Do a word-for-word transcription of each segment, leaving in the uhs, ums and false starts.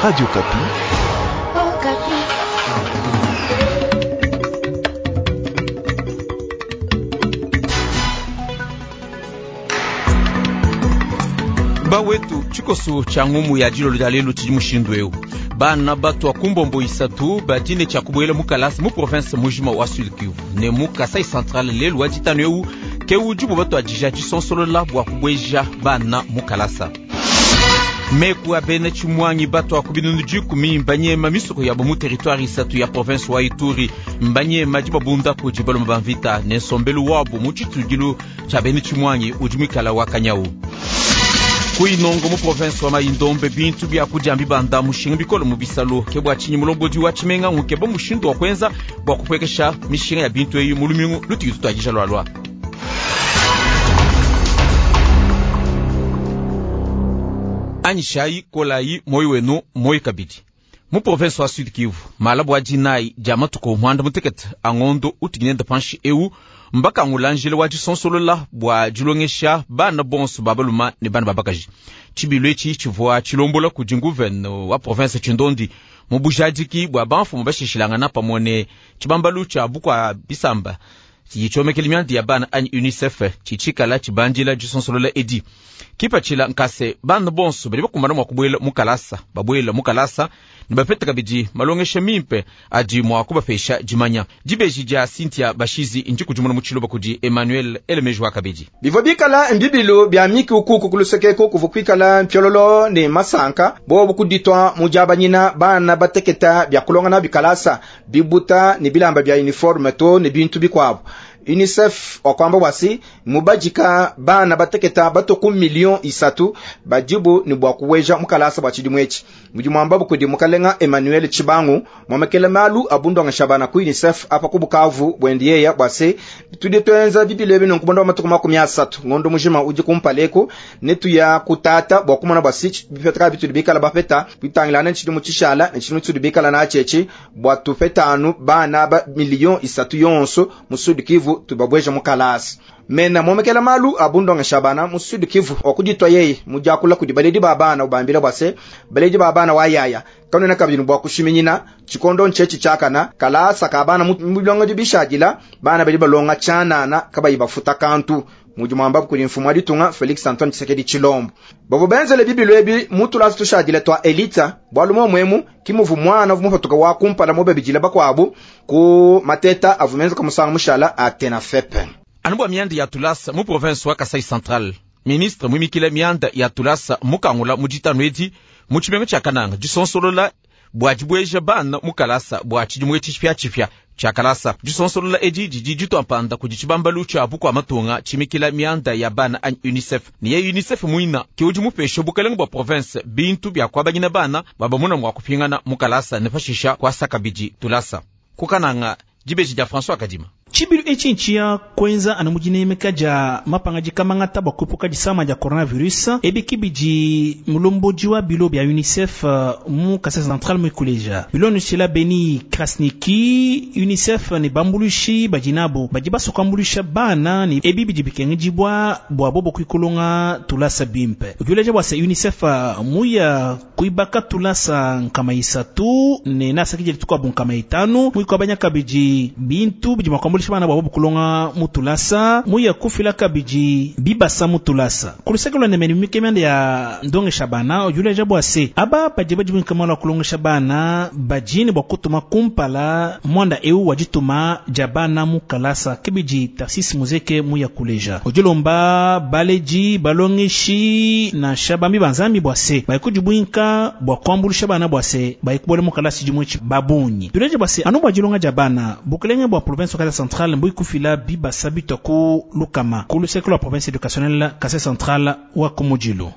Radio Okapi. Okapi. Bawetu tshikoso tshia ngumu ya dilolo dia lelu tshidi mushindu eu bana bato akumbombo isatu badine tshia kubuela mu kalasa mu province mujima wa Sud Kivu ne mu Kasai Central lelu wa ditanu eu ke udi bo batuadija disonsolola bua kubueja bana mu kalasa. Meku a bena tshimwangi bato aku binunu dikumi mbanyema misoko yabo mu territoire isatu ya province wa Ituri mbanyema dibabunda kudi baloma ba mvita ne nsombelu wabo mu tshitudilu tshia bena tshimwangi udi muikala wa kanyau. Kuinongo mu province wa Mai-Ndombe bintu bya kudia mbibanda mushinga bikolo mu bisalo ke bua tshinyi mulombodi wa tshimenga nkeba mushindu wa kuenza bua kupuekesha mishinga ya bintu eyi mu lumingu lutudi tutuadija lualua. Anyishayi kolayi moyo wenu moyo kabidi mu province wa Sud Kivu malabu wa dinayi dia matuku muanda mutekete angondo utuginenda panshi eu mbakangula njila wa disonsolola bua dilongesha bana bonso ba baluma ne bana ba bakaji. Tshibilu etshi tshivua tshilombola kudi nguvene wa province Tshindondi mu bujadiki bua bamfumu bashishilangana pamue ne tshibambalu tshia bukua bisamba tshiyitshiomekela mianda ya bana anyi UNICEF tshitshikala tshibandila disonsolola edi. Kipatshila nkase bana bonso badi bakumbana mua kubuela mu kalasa babuela mu kalasa ne bapete kabidi malongesha mimpe adi mua kubapesha dimanya. Dibeji dia Cynthia Bashizi ndikudimuna mu tshiloba kudi Emmanuel Elemeji wa kabidi. Bivua bikala mbibilu bia miki ukuku kulusekeko kuvua kuikala mpiololo ne masanka bobu kuditwa mu diabanyina bana bateketa bia kulonga bikalasa bibuta ne bilamba bia uniforme to ne bintu bikuabu. UNICEF wakwamba wasi mubajika bana bateketa batoku million isatu bajibu ni bwa kuweja mukalasa bwa tshidimu etshi. Mudi mwamba kudi mukalenga Emmanuel Tshibangu mwamekele malu abundonga shabana ku UNICEF apa ku Bukavu bwendiyeya bwase tudi twenza bibilo bino nkubonda wa matuku makumi asatu ngondo mujima udi kumpaleku netuya kutata bwa kumona bwasi bipeta bitudi bikala bapeta bitangilana tshidimu tshishala ne tshidimu tsudi bikala na tshetshe bwa tupetanu bana ba million isatu yonso mu Sud Kivu tubabweja mukalasi. Mena momekela malu abundonga shabana mu Sud Kivu okuditwa yeye mujakula kudi baledi ba bana ubambila bwase baledi ba bana wayaya kanona kabini bwa kushiminyina chikondo nchechi chakana kalasa ka bana mu bilongo bishadila bana bali balonga chanana kabayi bafuta kantu. Mudi mwamba kuli mfumu wa ditunga Felix Antoine Tshisekedi Tshilombo bavo benzele bibilu ebi mutulazi tushadile twa elita bwalu momwemu kimuvu mwana vumupatuka wa kumpala mobebijila bakwabu ku mateta avumenza kamusanga mushala atena fepe. Anubwa mianda ya tulasa mu province wa Kasai Central ministre mwimikila mianda ya tulasa mukangula mu ditanu edi mu tshimenga tshia Kananga disonsolola bua dibweja bana mu kalasa bua tshidimu etshi tshipiatshipia tshia kalasa. Disonsolola edi didi dituampanda kudi tshibambalu tshia bukua matunga tshimikila mianda ya bana anyi UNICEF. Ne ye UNICEF muina ke udi mupesha bukalenga bua province bintu bia kuabanyina bana babamuna mua kupingana mu kalasa ne pashisha kuasa kabidi tulasa. Ku Kananga dibeji dia François Kadima. Tshibilu etshi ntshia kuenza anu mudinemeka dia mapanga dikamangata bua kuepuka disama dia coronavirus ebi kibidi mulombodi wa bilo bia UNICEF mu Kasai Central muikuleja bilo nusila Beni Krasniki UNICEF ne bambulushi badinabo badi basokambuluisha bana ne ebi bidi bikengedibua bua bobo kuikulonga tulasa bimpe. Ukiuleja bua se UNICEF muya kuibaka tulasa nkama isatu ne nasakije lituka nkama itanu muikuabanya kabidi bintu bidi makwambuluisha bana babo kulonga mutulasa muya kufila kabidi bibasa mutulasa kulusekelo ne meni mikemende ya ndongesha bana ojuleja bwa se aba badi badi binkamala kulongesha bana bajini bwa kutuma kumpala mwanda eu wajituma jabana mukalasa kibidi Tarsis Muzeke muya kuleja ojulomba baleji balongeshi na shabambi banzambi bwa se baikujibwinka bwa kwambulisha bana bwa se baikubole mukalasi jimwichi babunyi tuleje bwa se anu bwa jilonga jabana bukelenge bwa province wa Kasai Central mbui kufila bibasa bitoko lukama kulusekelo la province éducationnelle Kasai Central wa Komodilo.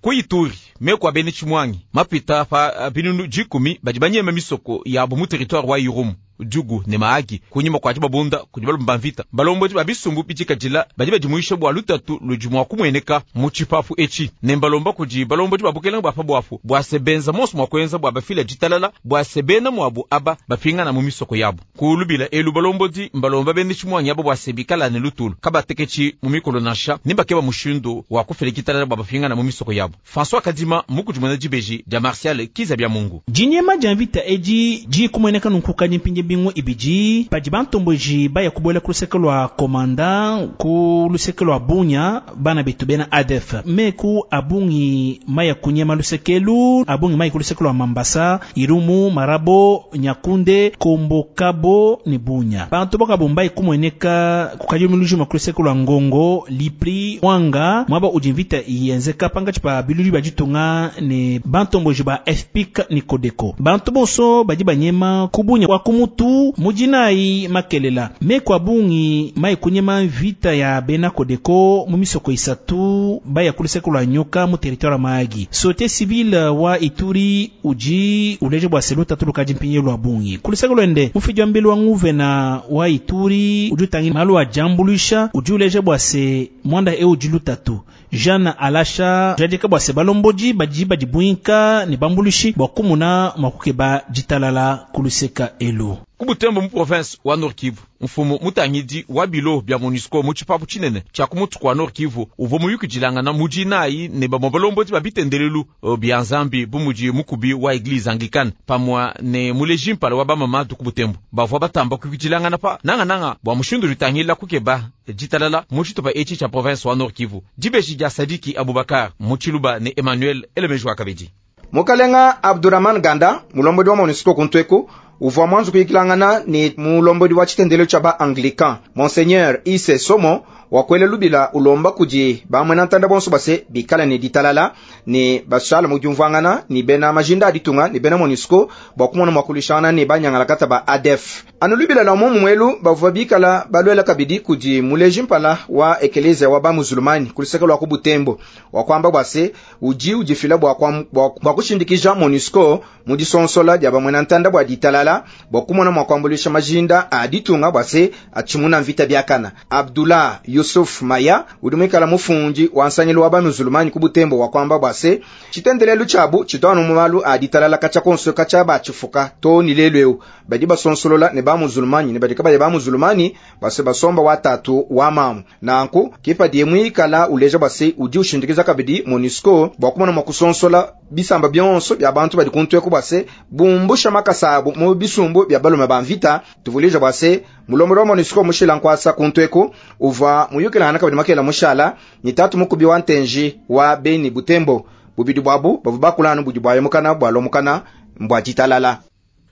Ku Ituri meko abene tshimwangi mapita pa binunu dikumi badi banyema misoko yabo mu territoire wa Irumu Djugu ne Mahagi kunyima kwa dibabunda kudi balume ba mvita. Balombodi ba bisumbu bidikadila badi badimuisha bua lutatu ludi mua kumueneka mu tshipapu etshi ne mbalomba kudi balombodi ba bukelenge bua pabuapu bua se benza monso mua kuenza bua bafila ditalala bua se bena muabu aba bapingana mu misoko yabu. Kulubila elu balombodi mbalomba bende tshimwangi abo bua se bikala ne lutulu kabateketshi mu mikolo nansha ne bakeba mushindu wa kufila ditalala bua bapingana mu misoko yabu. François Kadima mukudimuna dibeji dia Martial Kizabia Mungu. Dinyema dia mvita edi dikumueneka nunku mpinje bingu ibidi padi bantomboji baya kubola ku luseke lwa komanda ku luseke lwa Bunya bana betu bena A D F meku abungi maya kunyema lusekelu abungi maya ku luseke lwa Mambasa Irumu Marabo Nyakunde Kombokabo ne Bunya bantu bakabomba ikumueneka kukajumuluji ku luseke lwa Ngongo Lipri Wanga mwaba ujimvita iyenzeka panga chipa bilulu bajitunga ne bantomboji ba F P K ni Kodeko bantu bonso badi banyema kubunya wa kumutu mujinai makelela meko abungi mai kunyema vita ya bena Kodeko mu misoko isatu baya kuluseko lwa nyoka mu territoire Mahagi société civile wa Ituri uji uleje bwa seluta tulukaji mpinye lwa bungi kuluseko lwende mufiji wa mbelu wa nguvena wa Ituri uji utangi malu wa jambulisha uji uleje bwa se mwanda e uji lutatu Jean Alasha jadika bwa se balomboji baji baji buinka ni bambulishi bwa kumuna makukeba jitalala kuluseka elu Kubutembo mu province wa Nord Kivu mfumu mutangidi wa bilo bya MONUSCO mu tshipapu tshinene tshia kumutu kwa Nord Kivu uvua muyukidilangana mudinayi ne bamue balombodi ba bitendelelu bya Nzambi bu mudi mukubi wa Eglise Anglicane pamua ne muleji mpala wa bamamadu Kubutembo bavua batamba kuyukidilangana pa nangananga bua mushindu ditangila kukeba ditalala mu tshitupa etshi tshia province wa Nord Kivu. Dibeji dia Sadiki Abubakar mu Tshiluba ne Emmanuel Elemejo Akabedi. Mukalenga Abdurrahman Ganda mulombodi wa MONUSCO kuntweku uvua mwanzu kuyikilangana ni mulombodi wa tshitendelo tshia ba Anglican Monseigneur Ise Somo wakwele lubila ulomba kudi bamwena ntanda bonso base bikala ne ditalala ne bashala mu diumvuangana ni bena majinda aditunga ni bena MONUSCO bua kumona mua kulishana ne banyangalakata ba A D F. Anu lubila la mumu mwelu bavua bikala balwela kabidi kudi muleji mpala wa ekelezia wa bamuzulumani kuluseke lwa ku Butembo wakwamba bwase uji ujifila bua bua kushindikija MONUSCO mu disonsola dia bamwena ntanda bua ditalala bua kumona mua kuambulisha majinda aditunga bwase achimuna mvita biakana. Abdullah Yusuf Maya udi mwikala mufundi wa nsanyilu wa bamuzulumani ku Butembo wakwamba bwase tshitendelelu tshiabu tshitwanu mu malu aditalala kacha konso kacha batshifuka to ni lelu eu badi basonsolola ne bamuzulumani ne badi kabaya bamuzulumani base basomba watatu wa mamu nanku kipadi mwikala uleja base udi ushindikiza kabidi MONUSCO bua kumona mua kusonsola bisamba bionso bya bantu badi kuntweku base bumbusha makasabu mu bisumbu bya balume ba mvita tuvuleja base mulombodi wa MONUSCO mushila nkwasa kuntweku uva muyukilana kabidi makela mushala ni tatu mukubi wa ntenji wa Beni Butembo bubidi bwabu bavu bakulana budi bwayemukana bwalomukana mbwa ditalala.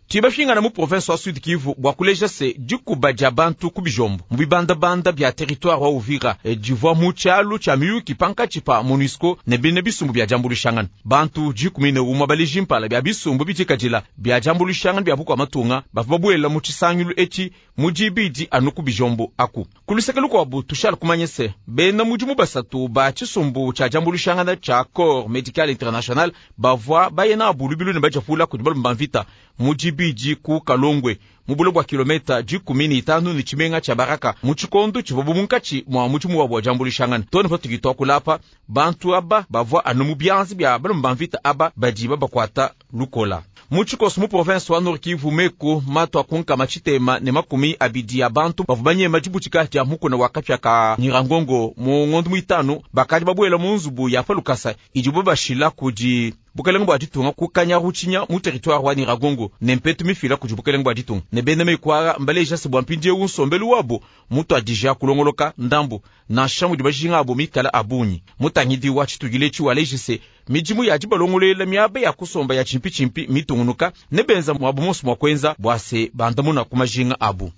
Tibashingana mu province wa Sud Kivu bua kuleja se dikuba dia bantu ku bijombo mu bibandabanda bya territoire wa Uvira e divua mu tshialu tshia miyuki pankatshi pa MONUSCO ne bine bisumbu bya diambuluishangana bantu dikumi ne umue baleji mpala bya bisumbu bidikadila bya diambuluishangana bya bukua matunga bavua babuela mu tshisangilu etshi mu dibidi anu ku bijombo aku. Kuluseke lukuabu tushala kumanya se bena mudimu basatu ba tshisumbu tshia diambuluishangana tshia Corps Medical International bavua bayena abu lubilu ne badiapula kudi balume ba mvita mu dibidi ku Kalongwe mu bulo bwa kilometa dikumi ne itanu ne tshimenga tshia Baraka mu tshikondo tshivua munkatshi mwa mudimu wa bua diambuluishangana tone patudi tuakulapa bantu aba bavua anu mu bianza bia balume ba mvita aba badi babakuata lukola. Mu tshikoso mu province wa Nord Kivu meko mato akunkama tshitema ne makumi abidi ya bantu bavua banyema dibutika dia mukuna wa kapya ka Nyirangongo mu ngondo muitanu bakadi babuela mu nzubu ya palukasa idibo bashila kudi bukelenge bua ditunga ku Kanyaruchinya mu territoire wa Nyiragongo ne mpetu mifila kudi bukelenge bua ditunga ne bena mekwara mbaleja se bua mpindiewu nsombelu wabo mutu adija kulongoloka ndambu nansha mudi bajinga abo mikala abunyi mutangidi wa tshitugile tshi walejise midimu ya dibalongolela miaba ya kusomba ya chimpi-chimpi mitungunuka ne benza mwabu monso mwa kwenza bua se bandamuna ku majinga abu.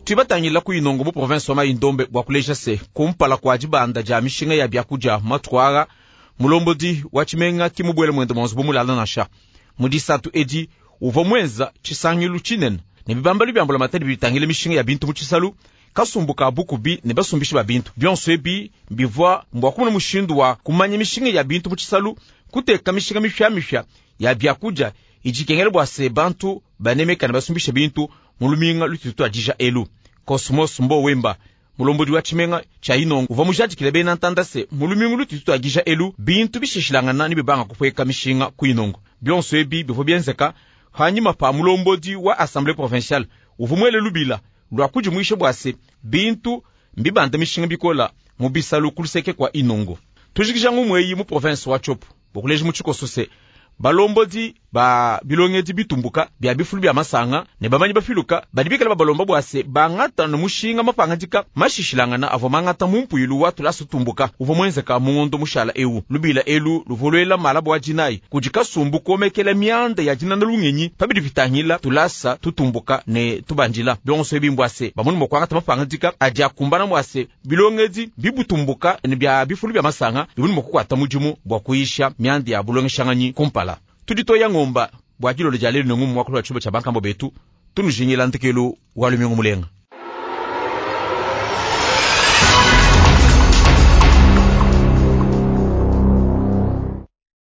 Tubatangila ku Inongo mu province wa Mai-Ndombe bua kuleja se kumpala kua dibanda dia mishinga ya biakudia matwara mulombodi wa tshimenga kimubwele mwende mwanzu bumulala nansha mu disatu edi uvua mwenza tshisangilu tshinene ne bibambalu bia mbulamatadi bitangile mishinga ya bintu mu tshisalu kasumbuka bukubi ne basumbishi ba bintu bionso ebi bivua mbua kumona mushindu wa kumanya mishinga ya bintu mu tshisalu kuteka mishinga mifyamifya ya biakudia Idi ikengela bua se bantu banemekana basumbisha bintu mu luminga lututu tuadija elu. Cosmos Mbo Wemba mulombodi wa tshimenga tshia Inongo uvua mujadikile bena ntanda se mu lumingu lututu tuadija elu bintu bishishilangana ne bibanga kupueka mishinga ku Inongo. Bionso ebi bivua bienzeka hanyima pa mulombodi wa assemblée provinciale uvua muele lubila lua kudimuisha bua se bintu mbibanda mishinga bikola mu bisalu ku luseke kua Inongo. Tujikija ngumu eyi mu province wa Tshopo bokuleja mu tshikoso se balombodi ba bilongedi bitumbuka bia bifulu bia masanga ne bamanyi bafiluka badi bikala babalomba bua se bangata ne mushinga mapangadika mashishilangana avua mangata mu mpuilu wa tulasa tumbuka uvua muenzeka mu ngondo mushala ewu. Lubila elu luvua luela malaba wa dinayi kudi kasumbu komekela mianda ya dinana lungenyi pabidi bitangila tulasa tutumbuka ne tubandila. Bionso ebi mbua se bamone mua kuangata mapangadika adi akumbana mua se bilongedi bibutumbuka ne bia bifulu bia masanga bimone mua kukuata mudimu bua kuyisha mianda ya bulongeshanganyi kumpala. Tudi toya ngomba bua dilolo dia lelu ne ngumu muakulu wa tshibo tshia bankambo betu tunujingila ntekelu wa lumingu mulenga.